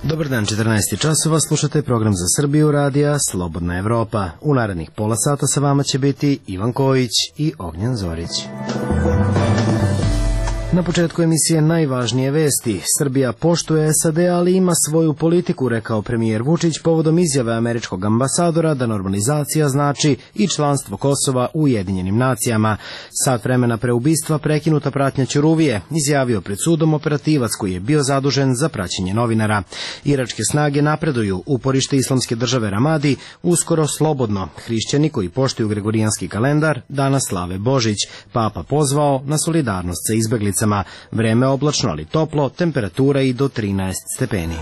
Dobar dan, 14 časova, slušate program za Srbiju radija Slobodna Evropa. U narednih pola sata sa vama će biti Ivan Kojić i Ognjen Zorić. Na početku emisije najvažnije vesti. Srbija poštuje SAD, ali ima svoju politiku, rekao premijer Vučić povodom izjave američkog ambasadora da normalizacija znači i članstvo Kosova u Ujedinjenim nacijama. Sat vremena pre ubistva prekinuta pratnja Ćuruvije, izjavio pred sudom operativac koji je bio zadužen za praćenje novinara. Iračke snage napreduju, uporište Islamske države Ramadi uskoro slobodno. Hrišćani koji poštuju gregorijanski kalendar danas slave Božić. Papa pozvao na solidarnost sa izbeglicama. Vreme oblačno, ali toplo, temperatura i do 13 stepeni.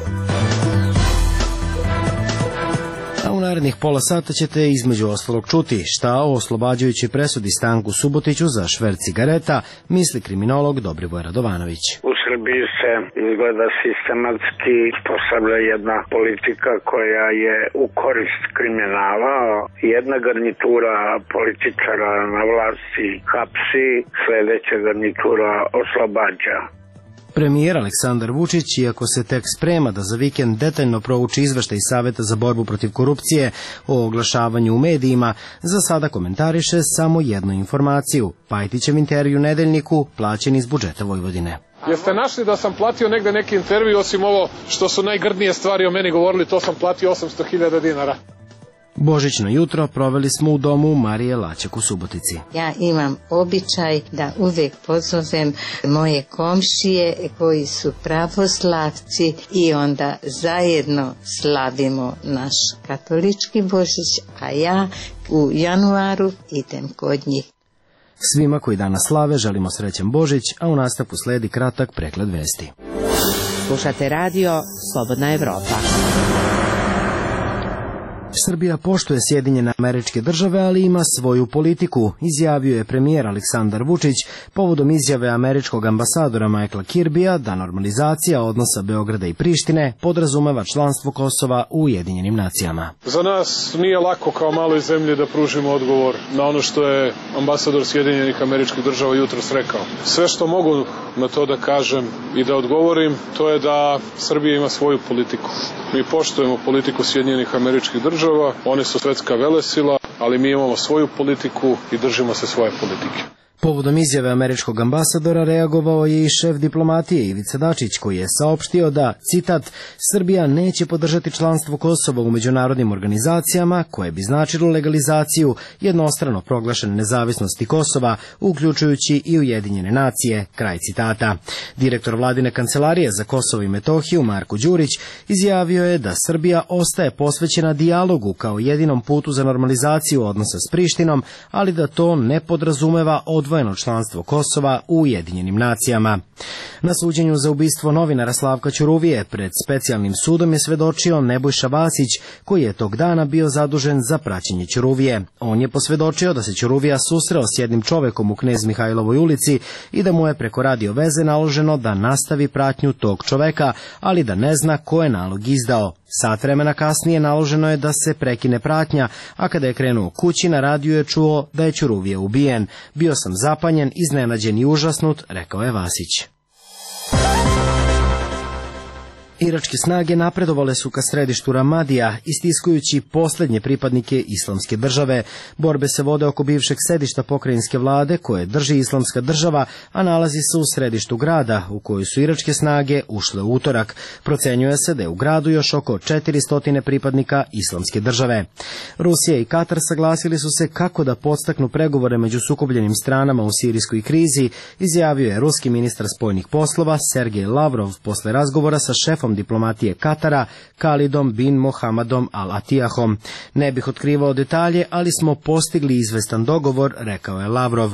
A u narednih pola sata ćete između ostalog čuti šta o oslobađajućoj presudi Stanku Subotiću za šverc cigareta misli kriminolog Dobrivoje Radovanović. U Srbiji se izgleda sistematski postavlja jedna politika koja je u korist kriminala. Jedna garnitura političara na vlasti hapsi, sledeća garnitura oslobađa. Premijer Aleksandar Vučić, iako se tek sprema da za vikend detaljno prouči izveštaj Saveta za borbu protiv korupcije o oglašavanju u medijima, za sada komentariše samo jednu informaciju. Pajtićev intervju Nedeljniku plaćen iz budžeta Vojvodine. Jeste našli da sam platio negde neki intervju, osim ovo što su najgrdnije stvari o meni govorili, to sam platio 800.000 dinara. Božićno jutro proveli smo u domu Marije Laćak u Subotici. Ja imam običaj da uvek pozovem moje komšije koji su pravoslavci i onda zajedno slavimo naš katolički Božić, a ja u januaru idem kod njih. Svima koji danas slave želimo srećan Božić, a u nastavku sledi kratak pregled vesti. Slušate radio Slobodna Evropa. Srbija poštuje Sjedinjene Američke Države, ali ima svoju politiku, izjavio je premijer Aleksandar Vučić povodom izjave američkog ambasadora Michaela Kirbija da normalizacija odnosa Beograda i Prištine podrazumeva članstvo Kosova u Ujedinjenim nacijama. Za nas nije lako kao maloj zemlji da pružimo odgovor na ono što je ambasador Sjedinjenih Američkih Država jutros rekao. Sve što mogu na to da kažem i da odgovorim, to je da Srbija ima svoju politiku. Mi poštujemo politiku Sjedinjenih Američkih Država, one su svetska velesila, ali mi imamo svoju politiku i držimo se svoje politike. Povodom izjave američkog ambasadora reagovao je i šef diplomatije Ivica Dačić, koji je saopštio da, citat, Srbija neće podržati članstvo Kosova u međunarodnim organizacijama koje bi značilo legalizaciju jednostrano proglašene nezavisnosti Kosova, uključujući i Ujedinjene nacije, kraj citata. Direktor vladine kancelarije za Kosovo i Metohiju, Marko Đurić, izjavio je da Srbija ostaje posvećena dijalogu kao jedinom putu za normalizaciju odnosa s Prištinom, ali da to ne podrazumeva odvojeno članstvo Kosova u Ujedinjenim nacijama. Na suđenju za ubistvo novinara Slavka Ćuruvije pred specijalnim sudom je svedočio Nebojša Vasić, koji je tog dana bio zadužen za praćenje Ćuruvije. On je posvedočio da se Ćuruvija susreo s jednim čovekom u Knez Mihajlovoj ulici i da mu je preko radio veze naloženo da nastavi pratnju tog čoveka, ali da ne zna ko je nalog izdao. Sat vremena kasnije naloženo je da se prekine pratnja, a kada je krenuo kući na radiju je čuo da je Ćuruvija ubijen. Bio sam zapanjen, iznenađen i užasnut, rekao je Vasić. Iračke snage napredovale su ka središtu Ramadija, istiskujući poslednje pripadnike Islamske države. Borbe se vode oko bivšeg sedišta pokrajinske vlade koje drži Islamska država, a nalazi se u središtu grada, u koju su iračke snage ušle u utorak. Procenjuje se da je u gradu još oko 400 pripadnika Islamske države. Rusija i Katar saglasili su se kako da podstaknu pregovore među sukobljenim stranama u sirijskoj krizi, izjavio je ruski ministar spoljnih poslova Sergej Lavrov posle razgovora sa šefom diplomatije Katara, Khalidom bin Mohammadom Al-Atiyahom. Ne bih otkrivao detalje, ali smo postigli izvestan dogovor, rekao je Lavrov.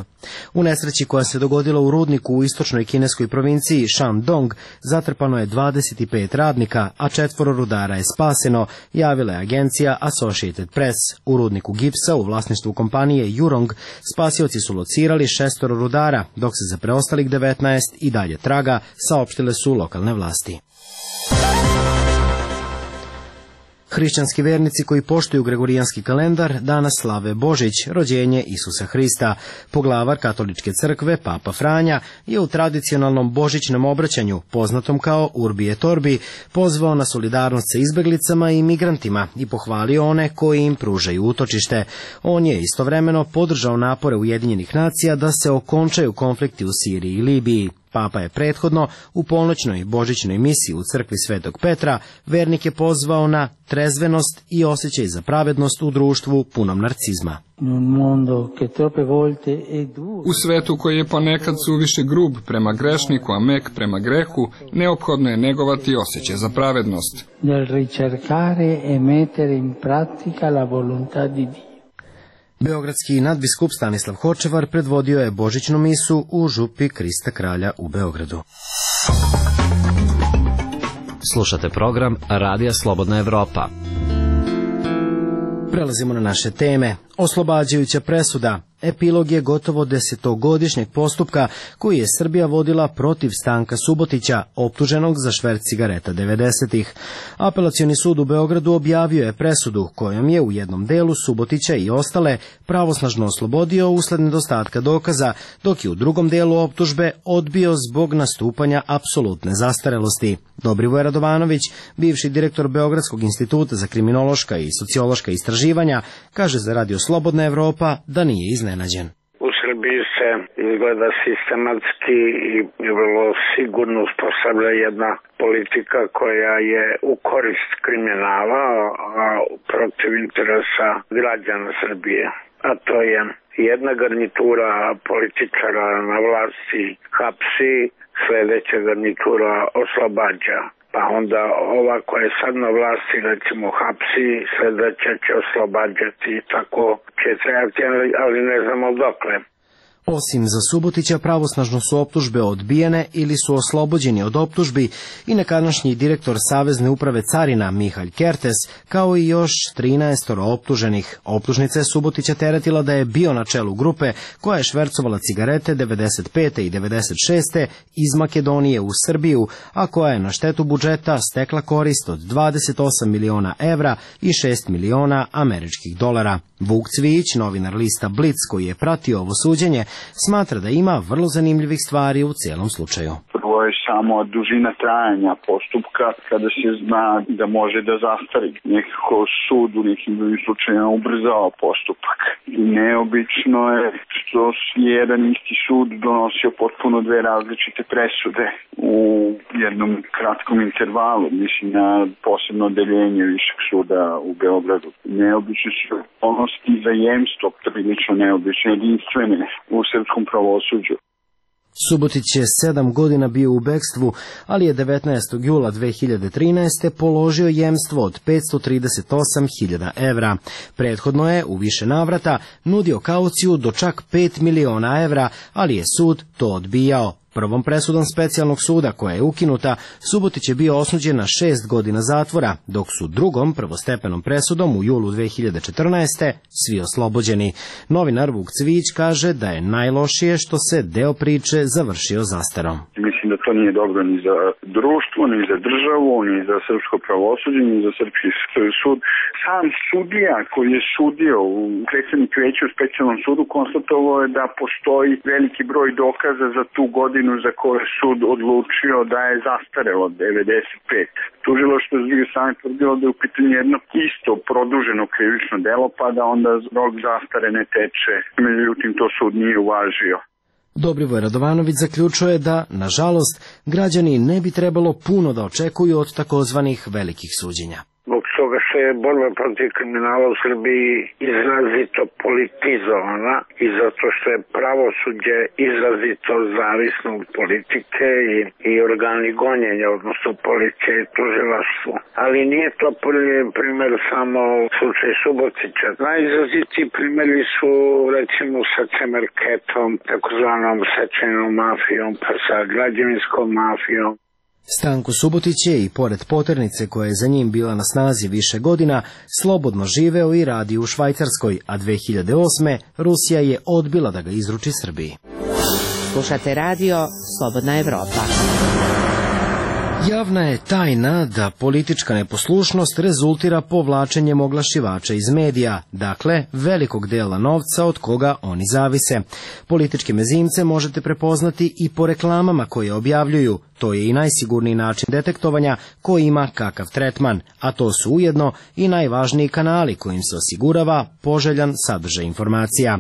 U nesreći koja se dogodila u rudniku u istočnoj kineskoj provinciji Shandong zatrpano je 25 radnika, a 4 rudara je spaseno, javila je agencija Associated Press. U rudniku gipsa u vlasništvu kompanije Jurong spasioci su locirali 6 rudara, dok se za preostalih 19 i dalje traga, saopštile su lokalne vlasti. Hrišćanski vernici koji poštuju gregorijanski kalendar danas slave Božić, rođenje Isusa Hrista. Poglavar katoličke crkve, Papa Franja, je u tradicionalnom božićnom obraćanju, poznatom kao Urbi et Orbi, pozvao na solidarnost sa izbeglicama i migrantima i pohvalio one koji im pružaju utočište. On je istovremeno podržao napore Ujedinjenih nacija da se okončaju konflikti u Siriji i Libiji. Papa je prethodno u polnoćnoj božićnoj misiji u crkvi Svetog Petra vernike pozvao na trezvenost i osjećaj za pravednost u društvu punom narcizma. U svetu koji je ponekad suviše grub prema grešniku, a mek prema grehu, neophodno je negovati osjećaj za pravednost. Beogradski nadbiskup Stanislav Hočevar predvodio je božićnu misu u župi Krista Kralja u Beogradu. Slušate program Radija Slobodna Evropa. Prelazimo na naše teme. Oslobađajuća presuda. Epilog je gotovo 10-godišnjeg postupka koji je Srbija vodila protiv Stanka Subotića, optuženog za šverc cigareta 90-ih. Apelacioni sud u Beogradu objavio je presudu kojom je u jednom delu Subotića i ostale pravosnažno oslobodio usled nedostatka dokaza, dok je u drugom delu optužbe odbio zbog nastupanja apsolutne zastarelosti. Dobrivoje Radovanović, bivši direktor Beogradskog instituta za kriminološka i sociološka istraživanja, kaže za Radio Slobodna Evropa da nije iznenađen. U Srbiji se izgleda sistematski i vrlo sigurno uspostavlja jedna politika koja je u korist kriminala, a protiv interesa građana Srbije. A to je jedna garnitura političara na vlasti hapsi, sledeća garnitura oslobađa. Pa onda ova koja je sad na vlasti, recimo, hapsi, sledeća će oslobađati i tako će trajati, ali ne znamo dokle. Osim za Subotića, pravosnažno su optužbe odbijene ili su oslobođeni od optužbi i nekadašnji direktor Savezne uprave carina Mihalj Kertes, kao i još 13 optuženih. Optužnica je Subotića teretila da je bio na čelu grupe koja je švercovala cigarete 95. i 96. iz Makedonije u Srbiju, a koja je na štetu budžeta stekla korist od 28 miliona evra i 6 miliona američkih dolara. Vuk Cvijić, novinar lista Blic koji je pratio ovo suđenje, smatra da ima vrlo zanimljivih stvari u cijelom slučaju. Prvo je samo dužina trajanja postupka kada se zna da može da zastari. Nekako sud u nekim drugim slučajima ubrzao postupak. Neobično je što je jedan isti sud donosio potpuno dve različite presude u jednom kratkom intervalu, mislim na posebno odeljenje Višeg suda u Beogradu. Neobično su okolnosti za jemstvo prilično neobično jedinstvene u srpskom pravosuđu. Subotić je 7 godina bio u bekstvu, ali je 19. jula 2013. položio jemstvo od 538.000 evra. Prethodno je u više navrata nudio kauciju do čak 5 miliona evra, ali je sud to odbijao. Prvom presudom specijalnog suda, koja je ukinuta, Subotić je bio osuđen na 6 godina zatvora, dok su drugom prvostepenom presudom u julu 2014. svi oslobođeni. Novinar Vuk Cvijić kaže da je najlošije što se deo priče završio zastarom. Mislim da to nije dobro ni za društvo, ni za državu, ni za srpsko pravosuđe, ni za srpski sud. Sam sudija koji je sudio u predsjednik veća u specijalnom sudu konstatovao je da postoji veliki broj dokaza za tu godinu za koju je sud odlučio da je zastarelo 95. Tužilaštvo s druge strane tvrdilo da je u pitanju jedno isto produženo krivično delo, pa da onda rok zastare ne teče. Međutim, to sud nije uvažio. Dobrivoje Radovanović zaključuje da, nažalost, građani ne bi trebalo puno da očekuju od takozvanih velikih suđenja. Zbog toga što je borba protiv kriminala u Srbiji izrazito politizovana i zato što je pravosuđe izrazito zavisno od politike i organi gonjenja, odnosno policije i tužilaštvo. Ali nije to primjer samo slučaj Subotića. Najizrazitiji primjeri su recimo sa Cemerketom, takozvanom sečajnom mafijom, pa sa građevinskom mafijom. Stanko Subotić je i pored poternice koja je za njim bila na snazi više godina, slobodno živeo i radio u Švajcarskoj, a 2008. Rusija je odbila da ga izruči Srbiji. Slušate radio Slobodna Evropa. Javna je tajna da politička neposlušnost rezultira povlačenjem oglašivača iz medija, dakle velikog dela novca od koga oni zavise. Političke mezimce možete prepoznati i po reklamama koje objavljuju. To je i najsigurniji način detektovanja ko ima kakav tretman, a to su ujedno i najvažniji kanali kojim se osigurava poželjan sadržaj informacija.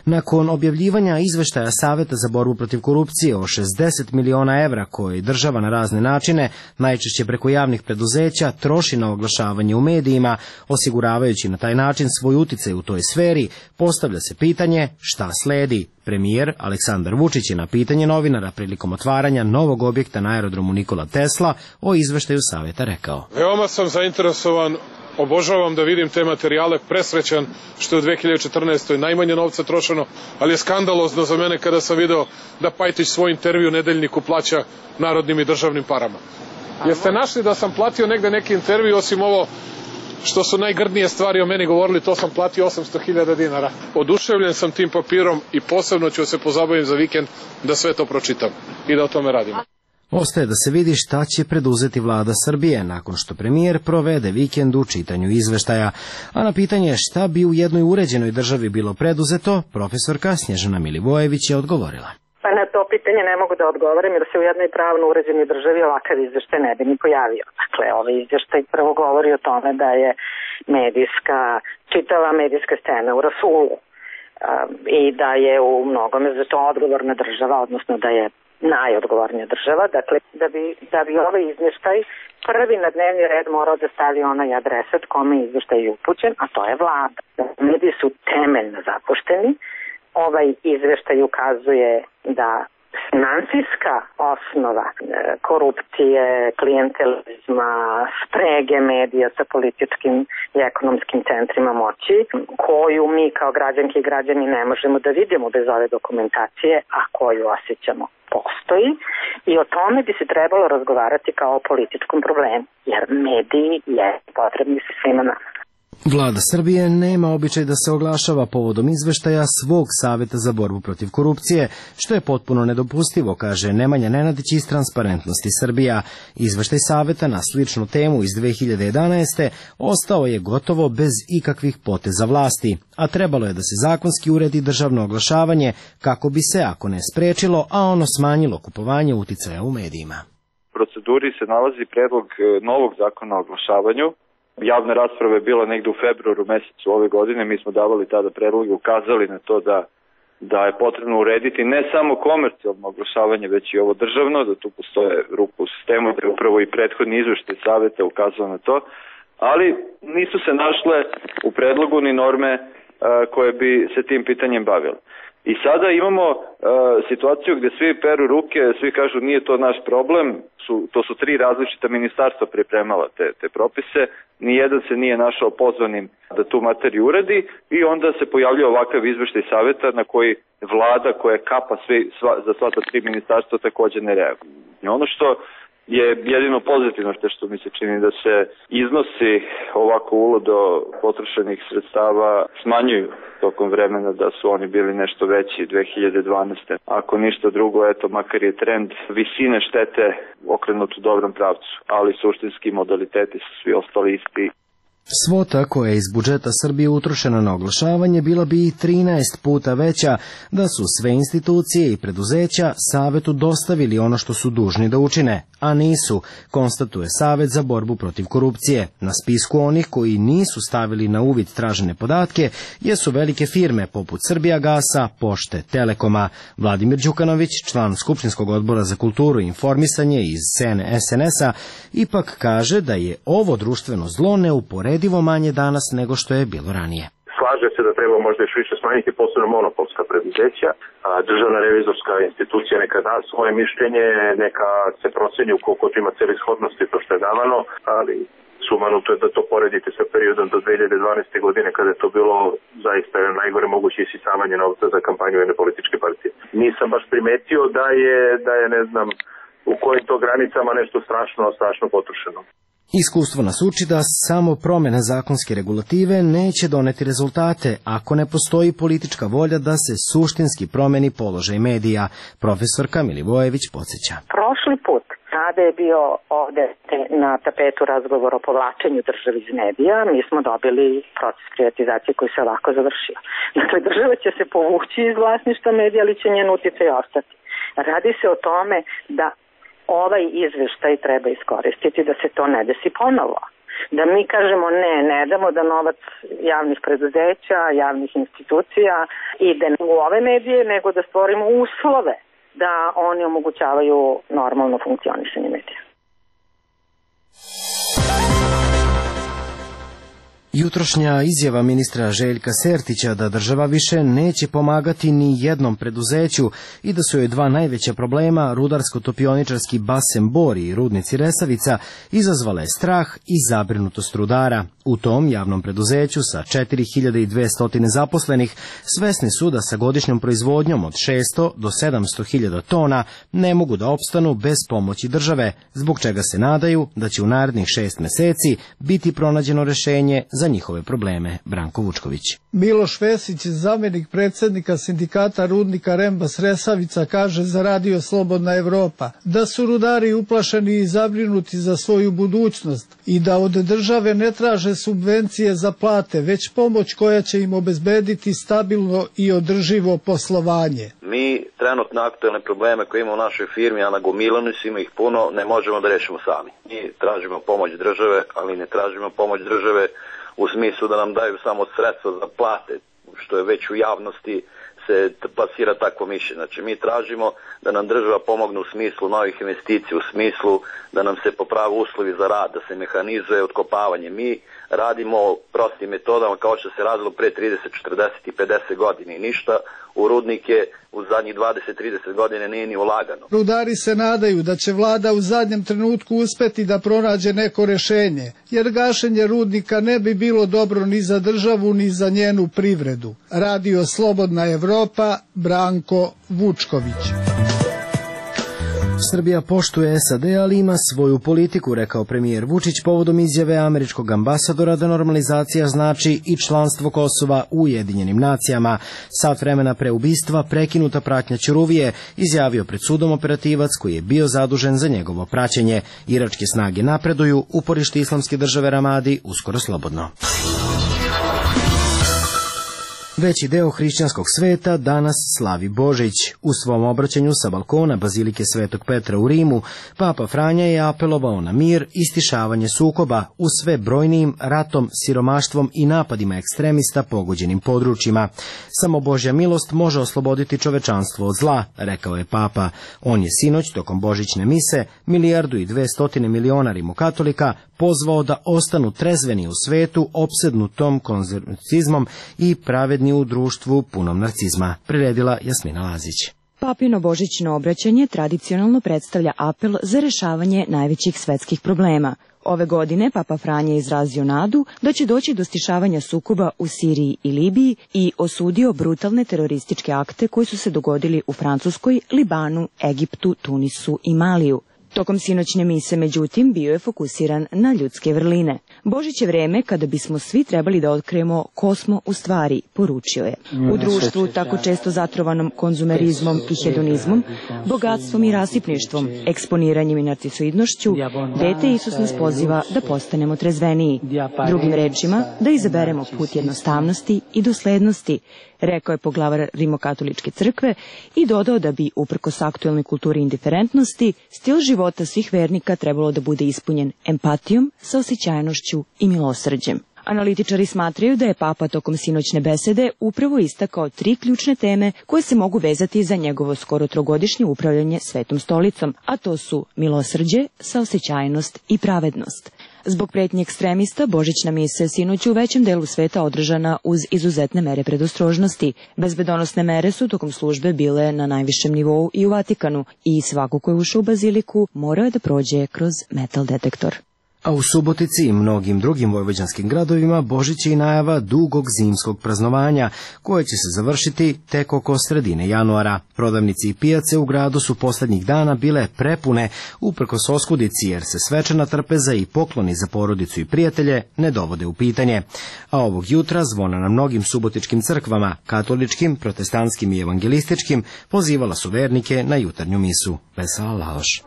Nakon objavljivanja izveštaja Saveta za borbu protiv korupcije o 60 miliona evra koje država na razne načine, najčešće preko javnih preduzeća, troši na oglašavanje u medijima, osiguravajući na taj način svoj uticaj u toj sferi, postavlja se pitanje šta sledi. Premijer Aleksandar Vučić je na pitanje novinara prilikom otvaranja novog objekta na aerodromu Nikola Tesla o izveštaju Saveta rekao: Veoma sam zainteresovan, obožavam da vidim te materijale, presrećan što je u 2014. najmanje novca trošeno, ali je skandalozno za mene kada sam video da Pajtić svoj intervju Nedeljniku plaća narodnim i državnim parama. Jeste našli da sam platio negde neki intervju, osim ovo što su najgrdnije stvari o meni govorili, to sam platio 800.000 dinara. Oduševljen sam tim papirom i posebno ću se pozabaviti za vikend da sve to pročitam i da o tome radim. Ostaje da se vidi šta će preduzeti vlada Srbije nakon što premijer provede vikend u čitanju izveštaja. A na pitanje šta bi u jednoj uređenoj državi bilo preduzeto, profesorka Snježana Milivojević je odgovorila. Pa na to pitanje ne mogu da odgovorim jer se u jednoj pravno uređenoj državi ovakav izveštaj ne bi ni pojavio. Dakle, ovaj izveštaj prvo govori o tome da je čitava medijska scena u rasulu i da je u mnogome za to odgovorna država, odnosno da je najodgovornija država. Dakle, da bi ovaj izveštaj prvi na dnevni red morao da stavi onaj adresat kome je izveštaj upućen, a to je vlada. Mediji su temeljno zapušteni. Ovaj izveštaj ukazuje da finansijska osnova korupcije, klijentelizma, sprege medija sa političkim i ekonomskim centrima moći, koju mi kao građanke i građani ne možemo da vidimo bez ove dokumentacije, a koju osjećamo postoji, i o tome bi se trebalo razgovarati kao o političkom problemu, jer mediji je potrebni svima nama. Vlada Srbije nema običaj da se oglašava povodom izveštaja svog Saveta za borbu protiv korupcije, što je potpuno nedopustivo, kaže Nemanja Nenadić iz Transparentnosti Srbija. Izveštaj Saveta na sličnu temu iz 2011. ostao je gotovo bez ikakvih poteza vlasti, a trebalo je da se zakonski uredi državno oglašavanje kako bi se, ako ne sprečilo, a ono smanjilo kupovanje uticaja u medijima. U proceduri se nalazi predlog novog zakona o oglašavanju. Javna rasprava je bila negde u februaru mesecu ove godine, mi smo davali tada predloge, ukazali na to da je potrebno urediti ne samo komercijalno oglašavanje, već i ovo državno, da tu postoje rupe u sistemu, da je upravo i prethodni izveštaj Saveta ukazao na to, ali nisu se našle u predlogu ni norme koje bi se tim pitanjem bavile. I sada imamo situaciju gde svi peru ruke, svi kažu nije to naš problem, to su 3 različita ministarstva pripremala te propise, nijedan se nije našao pozvanim da tu materiju uredi i onda se pojavljuje ovakav izveštaj Saveta na koji vlada koja kapa za sva ta 3 ministarstva takođe ne reaguje. I ono što je jedino pozitivno što mi se čini da se iznosi ovako uludo potrošenih sredstava smanjuju tokom vremena, da su oni bili nešto veći 2012. Ako ništa drugo, eto, makar je trend visine štete okrenut u dobrom pravcu, ali suštinski modaliteti su svi ostali isti. Svota koja je iz budžeta Srbije utrošena na oglašavanje bila bi i 13 puta veća da su sve institucije i preduzeća Savetu dostavili ono što su dužni da učine, a nisu, konstatuje Savet za borbu protiv korupcije. Na spisku onih koji nisu stavili na uvid tražene podatke jesu velike firme poput Srbijagasa, Pošte, Telekoma. Vladimir Đukanović, član Skupštinskog odbora za kulturu i informisanje iz SNS-a, ipak kaže da je ovo društveno zlo neuporedivo manje danas nego što je bilo ranije. Slaže se da treba možda još više smanjiti posebno monopolska preduzeća, a državna revizorska institucija neka da svoje mišljenje, neka se proceni ukoliko ima celishodnosti to što je davano, ali sumanuto je da to poredite sa periodom do 2012. godine kada je to bilo zaista najgore moguće isisavanje novca za kampanju jedne političke partije. Nisam baš primetio da je ne znam u kojim to granicama nešto strašno potrošeno. Iskustvo nas uči da samo promjena zakonske regulative neće doneti rezultate ako ne postoji politička volja da se suštinski promeni položaj medija. Profesorka Milivojević podsjeća. Prošli put na Kada je bio ovde na tapetu razgovor o povlačenju države iz medija, mi smo dobili proces privatizacije koji se ovako završio. Dakle, država će se povući iz vlasništva medija, ali će njen uticaj ostati. Radi se o tome da ovaj izveštaj treba iskoristiti da se to ne desi ponovo. Da mi kažemo ne damo da novac javnih preduzeća, javnih institucija ide u ove medije, nego da stvorimo uslove da oni omogućavaju normalno funkcionisanje medija. Jutrošnja izjava ministra Željka Sertića da država više neće pomagati ni jednom preduzeću i da su joj dva najveća problema, rudarsko-topioničarski basen Bor i rudnici Resavica, izazvala je strah i zabrinutost rudara. U tom javnom preduzeću sa 4200 zaposlenih svesni su da sa godišnjom proizvodnjom od 600 do 700.000 tona ne mogu da opstanu bez pomoći države, zbog čega se nadaju da će u narednih 6 meseci biti pronađeno rešenje za njihove probleme. Branko Vučković. Miloš Vesić, zamenik predsjednika sindikata rudnika Rembas Resavica, kaže za Radio Slobodna Evropa da su rudari uplašeni i zabrinuti za svoju budućnost i da od države ne traže subvencije za plate, već pomoć koja će im obezbediti stabilno i održivo poslovanje. Mi trenutno aktualne probleme koje imamo u našoj firmi, a nagomilani su, ima ih puno, ne možemo da rešimo sami. Mi tražimo pomoć države, ali ne tražimo pomoć države u smislu da nam daju samo sredstva za plate, što je već u javnosti se plasira takvo mišljenje. Znači, mi tražimo da nam država pomogne u smislu novih investicija, u smislu da nam se poprave uslovi za rad, da se mehanizuje otkopavanje. Mi radimo prostim metodama kao što se radilo pre 30, 40 i 50 godina i ništa u rudnike u zadnjih 20-30 godina nije ni ulagano. Rudari se nadaju da će vlada u zadnjem trenutku uspeti da pronađe neko rešenje, jer gašenje rudnika ne bi bilo dobro ni za državu ni za njenu privredu. Radio Slobodna Evropa, Branko Vučković. Srbija poštuje SAD, ali ima svoju politiku, rekao premijer Vučić povodom izjave američkog ambasadora da normalizacija znači i članstvo Kosova u Ujedinjenim nacijama. Sat vremena pre ubistva prekinuta pratnja Ćuruvije, izjavio pred sudom operativac koji je bio zadužen za njegovo praćenje. Iračke snage napreduju, uporište Islamske države Ramadi uskoro slobodno. Veći deo hrišćanskog sveta danas slavi Božić. U svom obraćanju sa balkona Bazilike Svetog Petra u Rimu, Papa Franja je apelovao na mir i stišavanje sukoba u sve brojnijim ratom, siromaštvom i napadima ekstremista pogođenim područjima. Samo Božja milost može osloboditi čovečanstvo od zla, rekao je Papa. On je sinoć tokom Božićne mise 1,2 milijarde rimokatolika pozvao da ostanu trezveni u svetu opsednutom konzervativizmom i pravedni u društvu punom narcizma, priredila Jasmina Lazić. Papino božićno obraćanje tradicionalno predstavlja apel za rešavanje najvećih svetskih problema. Ove godine Papa Franja je izrazio nadu da će doći do stišavanja sukoba u Siriji i Libiji i osudio brutalne terorističke akte koji su se dogodili u Francuskoj, Libanu, Egiptu, Tunisu i Maliju. Tokom sinoćne mise, međutim, bio je fokusiran na ljudske vrline. Božić je vreme kada bismo svi trebali da otkrijemo ko smo u stvari, poručio je. U društvu tako često zatrovanom konzumerizmom i hedonizmom, bogatstvom i rasipništvom, eksponiranjem i narcisoidnošću, dete Isus nas poziva da postanemo trezveniji. Drugim rečima, da izaberemo put jednostavnosti i doslednosti, rekao je poglavar Rimokatoličke crkve i dodao da bi, uprkos aktuelnoj kulturi indiferentnosti, stil života svih vernika trebalo da bude ispunjen empatijom, saosećajnošću i milosrđem. Analitičari smatraju da je Papa tokom sinoćne besede upravo istakao 3 ključne teme koje se mogu vezati za njegovo skoro 3-godišnje upravljanje Svetom stolicom, a to su milosrđe, saosećajnost i pravednost. Zbog pretnje ekstremista, božićna mise sinoć u većem delu sveta održana uz izuzetne mere predostrožnosti. Bezbedonosne mere su tokom službe bile na najvišem nivou i u Vatikanu i svako ko je ušao u baziliku morao je da prođe kroz metal detektor. A u Subotici i mnogim drugim vojvođanskim gradovima Božić je i najava dugog zimskog praznovanja, koje će se završiti tek oko sredine januara. Prodavnici i pijace u gradu su poslednjih dana bile prepune, uprkos oskudici, jer se svečana trpeza i pokloni za porodicu i prijatelje ne dovode u pitanje. A ovog jutra zvona na mnogim subotičkim crkvama, katoličkim, protestantskim i evangelističkim, pozivala su vernike na jutarnju misu. Vesela Laloš.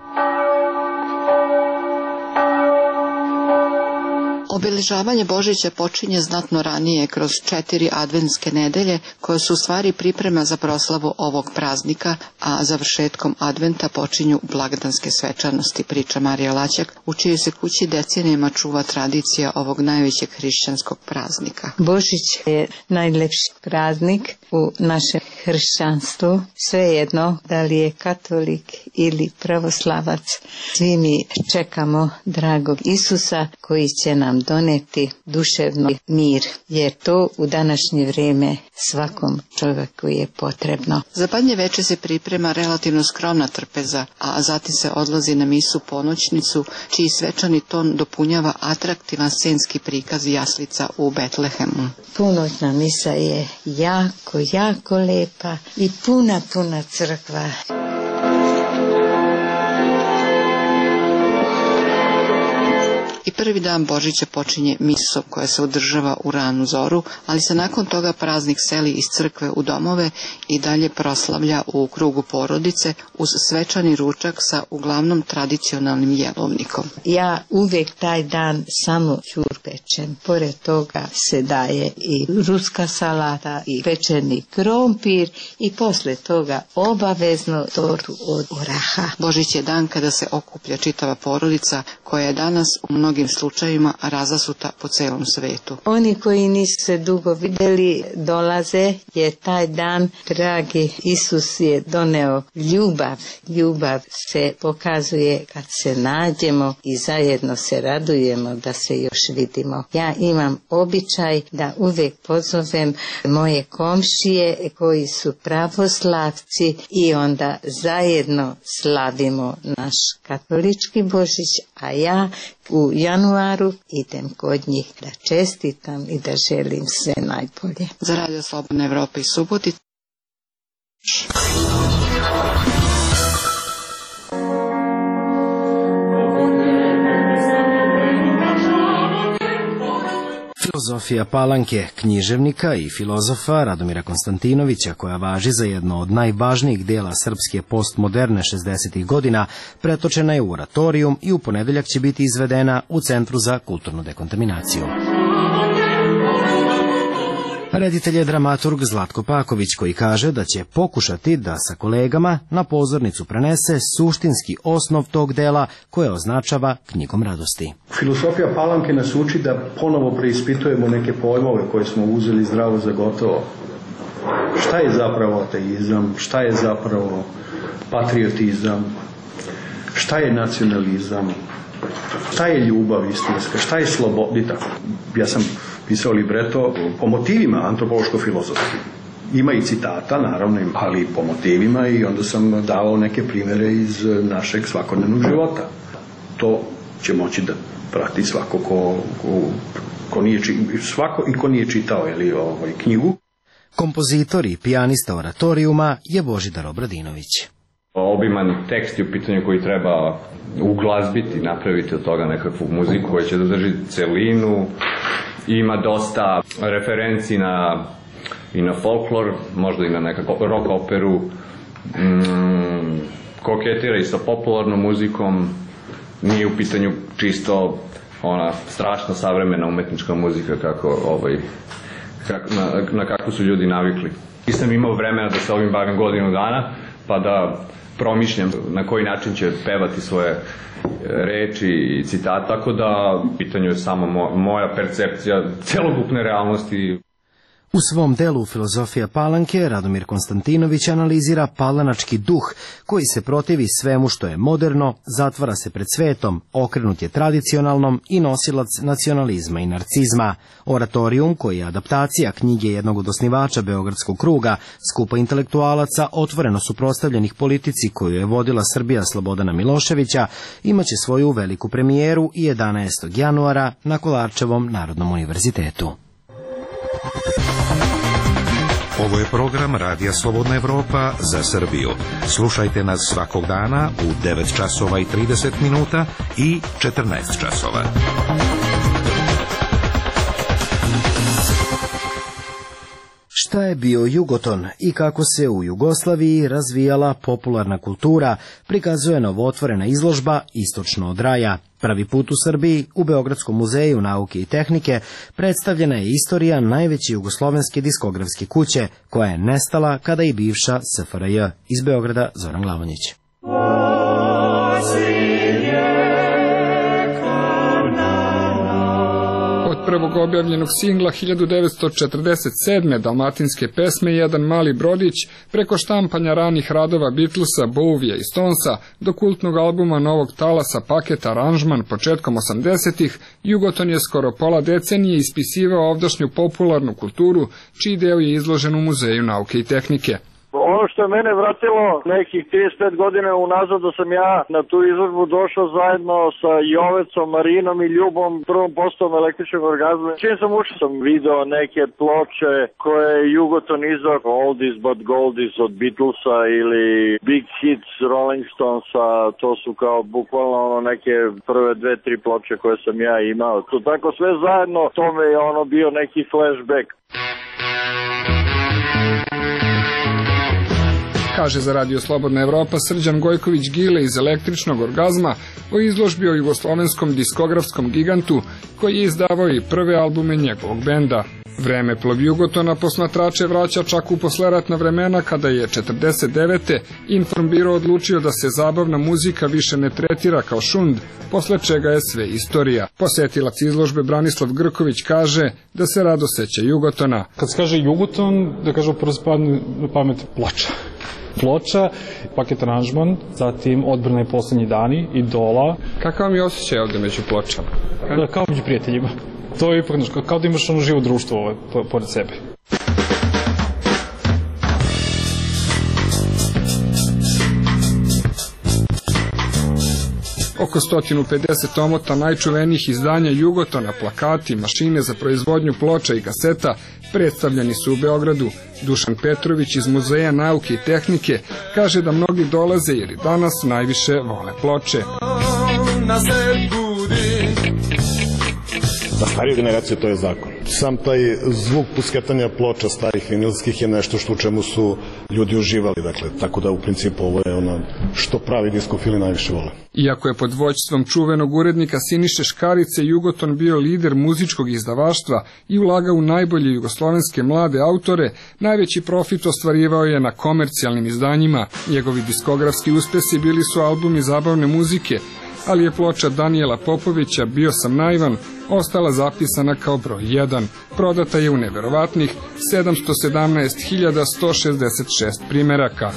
Obeležavanje Božića počinje znatno ranije, kroz 4 adventske nedelje, koje su u stvari priprema za proslavu ovog praznika, a završetkom adventa počinju blagdanske svečanosti, priča Marija Laćak, u čijoj se kući decenijama čuva tradicija ovog najvećeg hrišćanskog praznika. Božić je najlepši praznik u našem hrišćanstvu, svejedno da li je katolik ili pravoslavac. Svi mi čekamo dragog Isusa koji će nam doneti duševni mir, jer to u današnje vrijeme svakom čovjeku je potrebno. Za Badnje veče se priprema relativno skromna trpeza, a zatim se odlazi na misu ponoćnicu, čiji svečani ton dopunjava atraktivan scenski prikaz jaslica u Betlehemu. Ponoćna misa je jako lepa i puna crkva. I prvi dan Božića počinje misom koja se održava u ranu zoru, ali se nakon toga praznik seli iz crkve u domove i dalje proslavlja u krugu porodice uz svečani ručak sa uglavnom tradicionalnim jelovnikom. Ja uvijek taj dan samo ćur pečem. Pored toga se daje i ruska salata i pečeni krompir i posle toga obavezno tortu od oraha. Božić je dan kada se okuplja čitava porodica koja je danas u mnogim slučajevima razasuta po celom svetu. Oni koji nisu se dugo vidjeli dolaze, je taj dan dragi Isus je doneo ljubav. Ljubav se pokazuje kad se nađemo i zajedno se radujemo da se još vidimo. Ja imam običaj da uvijek pozovem moje komšije koji su pravoslavci i onda zajedno slavimo naš katolički Božić, a ja u januaru idem kod njih da čestitam i da želim sve najbolje. Za Radio Slobodna Evropa iz Subotice. Filozofija Palanke, književnika i filozofa Radomira Konstantinovića, koja važi za jedno od najvažnijih dela srpske postmoderne 60. godina, pretočena je u oratorijum i u ponedeljak će biti izvedena u Centru za kulturnu dekontaminaciju. Reditelj je dramaturg Zlatko Paković, koji kaže da će pokušati da sa kolegama na pozornicu prenese suštinski osnov tog dela koje označava knjigom radosti. Filosofija Palanke nas uči da ponovo preispitujemo neke pojmove koje smo uzeli zdravo za gotovo. Šta je zapravo ateizam, šta je zapravo patriotizam, šta je nacionalizam, šta je ljubav istinska, šta je sloboda. Ja sam pisao libreto po motivima antropološko-filozofskim. Ima i citata, naravno, ali po motivima, i onda sam dao neke primere iz našeg svakodnevnog života. To će moći da prati svako ko nije čitao knjigu. Kompozitor i pijanista oratorijuma je Božidar Obradinović. Obiman tekst je u pitanju koji treba uglazbiti, napraviti od toga nekakvu muziku koja će da drži celinu. Ima dosta referenci i na folklor, možda i na nekakvu rock operu, koketira i sa popularnom muzikom, nije u pitanju čisto ona strašno savremena umetnička muzika na kakvu su ljudi navikli. Nisam imao vremena da se ovim bavim godinu dana, pa da promišljam na koji način će pevati svoje reči i citata, tako da pitanju je samo moja percepcija celokupne realnosti. U svom delu Filozofija Palanke Radomir Konstantinović analizira palanački duh koji se protivi svemu što je moderno, zatvara se pred svetom, okrenut je tradicionalnom i nosilac nacionalizma i narcizma. Oratorijum, koji je adaptacija knjige jednog od osnivača Beogradskog kruga, skupa intelektualaca otvoreno suprotstavljenih politici koju je vodila Srbija Slobodana Miloševića, imaće svoju veliku premijeru i 11. januara na Kolarčevom Narodnom univerzitetu. Ovo je program Radija Slobodna Evropa za Srbiju. Slušajte nas svakog dana u 9 časova i 30 minuta i 14 časova. Šta je bio Jugoton i kako se u Jugoslaviji razvijala popularna kultura, prikazuje novootvorena izložba Istočno od raja. Prvi put u Srbiji, u Beogradskom muzeju nauke i tehnike, predstavljena je istorija najveće jugoslovenske diskografske kuće, koja je nestala kada i bivša SFRJ. Iz Beograda, Zoran Glavonjić. Prvog objavljenog singla 1947. dalmatinske pesme Jedan mali brodić, preko štampanja ranih radova Beatlesa, Bowija i Stonesa, do kultnog albuma Novog talasa Paket aranžman početkom 80-ih, Jugoton je skoro pola decenije ispisivao ovdašnju popularnu kulturu, čiji deo je izložen u Muzeju nauke i tehnike. Ono što je mene vratilo nekih 35 godina unazad, da sam ja na tu izložbu došao zajedno sa Jovecom, Marinom i Ljubom, prvom postavom električnog orgazma. Čim sam ušao, sam video neke ploče koje je Jugoton izdao, Oldies but Goldies od Beatlesa ili Big Hits Rolling Stonesa. To su kao bukvalno neke prve 2-3 ploče koje sam ja imao. To tako sve zajedno, to me je bio neki flashback. Kaže za Radio Slobodna Evropa Srđan Gojković-Gile iz Električnog orgazma o izložbi o jugoslovenskom diskografskom gigantu koji je izdavao i prve albume njegovog benda. Vremeplov Jugotona posmatrače vraća čak u posleratna vremena kada je 49. Informbiro odlučio da se zabavna muzika više ne tretira kao šund, posle čega je sve istorija. Posetilac izložbe Branislav Grković kaže da se rado seća Jugotona. Kad se kaže Jugoton, da kažu prvo spadne na pamet ploča, Paket aranžman, zatim Odbrana i poslednji dani, Idola. Kakav vam je osjećaj ovde među pločama? Kao među prijateljima. To je ipak, kao da imaš živo društvo pored sebe. Oko 150 omota najčuvenijih izdanja Jugotona, plakati, mašine za proizvodnju ploča i kaseta predstavljeni su u Beogradu. Dušan Petrović iz Muzeja nauke i tehnike kaže da mnogi dolaze jer i danas najviše vole ploče. Za stariju generaciju to je zakon. Sam taj zvuk pusketanja ploča starih vinilskih je nešto što u čemu su ljudi uživali. Dakle, tako da u principu ovo je ono što pravi diskofili najviše vole. Iako je pod vođstvom čuvenog urednika Siniše Škarice Jugoton bio lider muzičkog izdavaštva i ulagao u najbolje jugoslovenske mlade autore, najveći profit ostvarivao je na komercijalnim izdanjima. Njegovi diskografski uspesi bili su albumi zabavne muzike, ali je ploča Danijela Popovića Bio sam naivan ostala zapisana kao broj 1. Prodata je u neverovatnih 717.166 primeraka.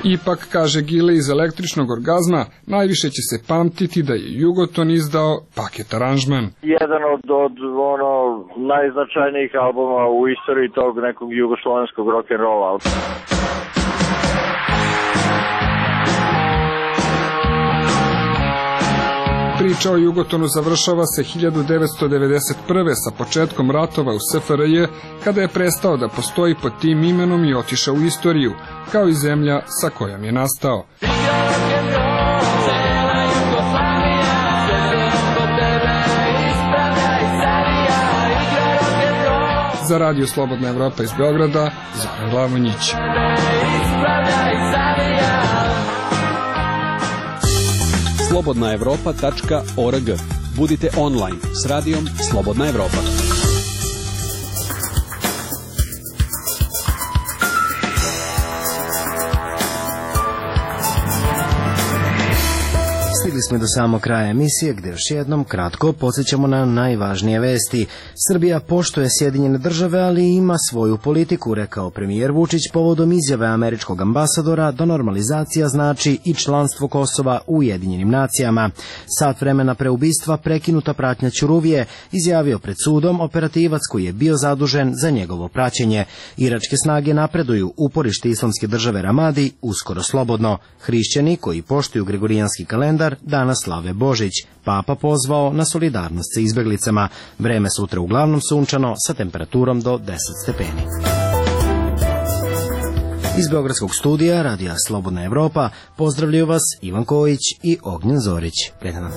Ipak, kaže Gile iz Električnog orgazma, najviše će se pamtiti da je Jugoton izdao Paket aranžman. Jedan od najznačajnijih albuma u istoriji tog nekog jugoslovenskog rock'n'rolla. Priča o Jugotonu završava se 1991. sa početkom ratova u SFRJ, kada je prestao da postoji pod tim imenom i otišao u istoriju, kao i zemlja sa kojom je nastao. Za Radio Slobodna Evropa iz Beograda, Zoran Glavonjić. slobodnaevropa.org. Budite online s radijom Slobodna Evropa. Stigli smo do samog kraja emisije, gde još jednom kratko podsjećamo na najvažnije vesti. Srbija poštuje Sjedinjene države, ali ima svoju politiku, rekao premijer Vučić povodom izjave američkog ambasadora da normalizacija znači i članstvo Kosova u Ujedinjenim nacijama. Sat vremena pre ubistva prekinuta pratnja Ćuruvije, izjavio pred sudom operativac koji je bio zadužen za njegovo praćenje. Iračke snage napreduju, uporište Islamske države Ramadi uskoro slobodno. Hrišćani koji poštuju gregorijanski kalendar danas slave Božić. Papa pozvao na solidarnost sa izbeglicama. Vreme sutra uglavnom sunčano sa temperaturom do 10 stepeni. Iz Beogradskog studija Radija Slobodna Evropa pozdravljaju vas Ivan Kojić i Ognjen Zorić. Prijatno.